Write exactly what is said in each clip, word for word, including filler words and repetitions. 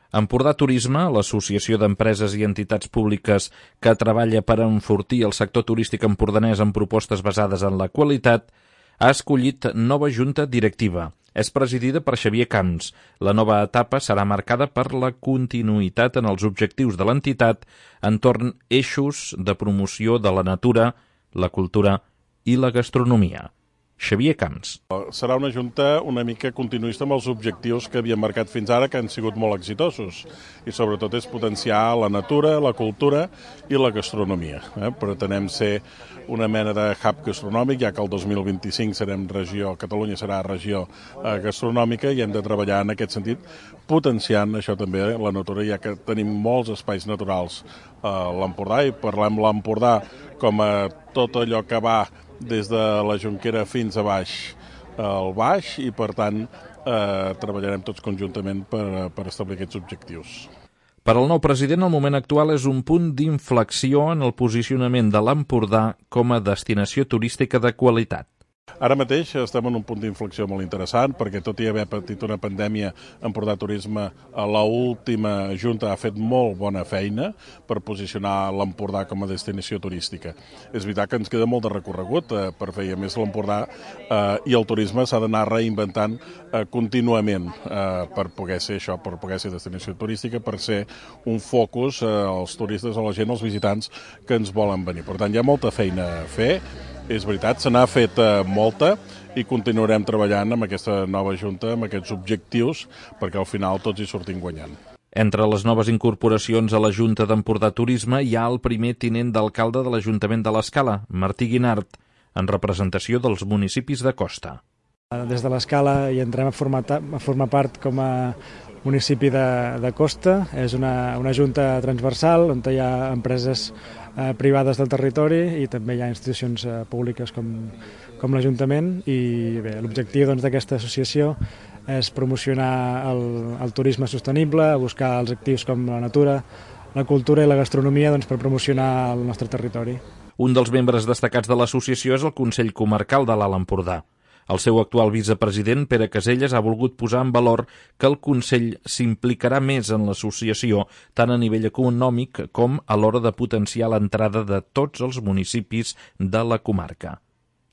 Empordà Turisme, l'associació d'empreses i entitats públiques que treballa per enfortir el sector turístic empordanès amb propostes basades en la qualitat, ha escollit nova junta directiva. És presidida per Xavier Camps. La nova etapa serà marcada per la continuïtat en els objectius de l'entitat entorn eixos de promoció de la natura, la cultura i la gastronomia. Xavier Camps. Serà una junta una mica continuista amb els objectius que havíem marcat fins ara, que han sigut molt exitosos. I sobretot és potenciar la natura, la cultura i la gastronomia. Eh? Pretenem ser una mena de hub gastronòmic, ja que el dos mil vint-i-cinc serem regió, Catalunya serà regió eh, gastronòmica, i hem de treballar en aquest sentit, potenciant això també, eh, la natura, ja que tenim molts espais naturals a l'Empordà, i parlem l'Empordà com a tot allò que va des de la Jonquera fins a baix al baix, i per tant eh, treballarem tots conjuntament per, per establir aquests objectius. Per al nou president, el moment actual és un punt d'inflexió en el posicionament de l'Empordà com a destinació turística de qualitat. Ara mateix estem en un punt d'inflexió molt interessant, perquè tot i haver patit una pandèmia, Empordà Turisme, a l'última junta ha fet molt bona feina per posicionar l'Empordà com a destinació turística. És veritat que ens queda molt de recorregut eh, per fer, a més l'Empordà eh, i el turisme s'ha d'anar reinventant eh, contínuament eh, per poder ser això, per poder ser destinació turística, per ser un focus eh, als turistes, a la gent, als visitants que ens volen venir. Per tant, hi ha molta feina a fer. És veritat, se n'ha fet eh, molta, i continuarem treballant amb aquesta nova junta, amb aquests objectius, perquè al final tots hi sortim guanyant. Entre les noves incorporacions a la Junta d'Empordà Turisme hi ha el primer tinent d'alcalde de l'Ajuntament de l'Escala, Martí Guinart, en representació dels municipis de costa. Des de l'Escala hi entrem a formar, a formar part com a municipi de, de costa. És una, una junta transversal on hi ha empreses eh, privades del territori i també hi ha institucions eh, públiques com, com l'Ajuntament, i bé, l'objectiu doncs, d'aquesta associació és promocionar el, el turisme sostenible, buscar els actius com la natura, la cultura i la gastronomia doncs, per promocionar el nostre territori. Un dels membres destacats de l'associació és el Consell Comarcal de l'Alt Empordà. El seu actual vicepresident, Pere Caselles, ha volgut posar en valor que el Consell s'implicarà més en l'associació, tant a nivell econòmic com a l'hora de potenciar l'entrada de tots els municipis de la comarca.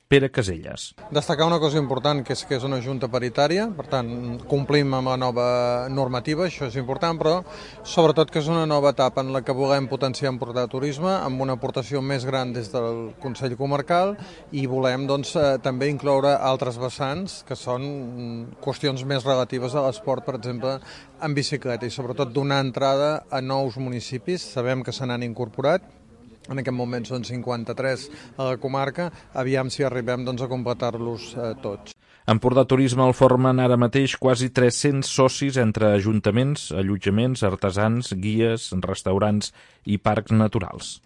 Pere Caselles. Destacar una cosa important, que és que és una junta paritària, per tant, complim amb la nova normativa, això és important, però sobretot que és una nova etapa en la que volem potenciar Empordà Turisme amb una aportació més gran des del Consell Comarcal, i volem doncs, eh, també incloure altres vessants, que són qüestions més relatives a l'esport, per exemple, en bicicleta, i sobretot donar entrada a nous municipis. Sabem que se n'han incorporat, en aquest moment són cinquanta-tres a la comarca, aviam si arribem doncs, a completar-los eh, tots. Empordà Turisme el formen ara mateix quasi tres-cents socis entre ajuntaments, allotjaments, artesans, guies, restaurants i parcs naturals.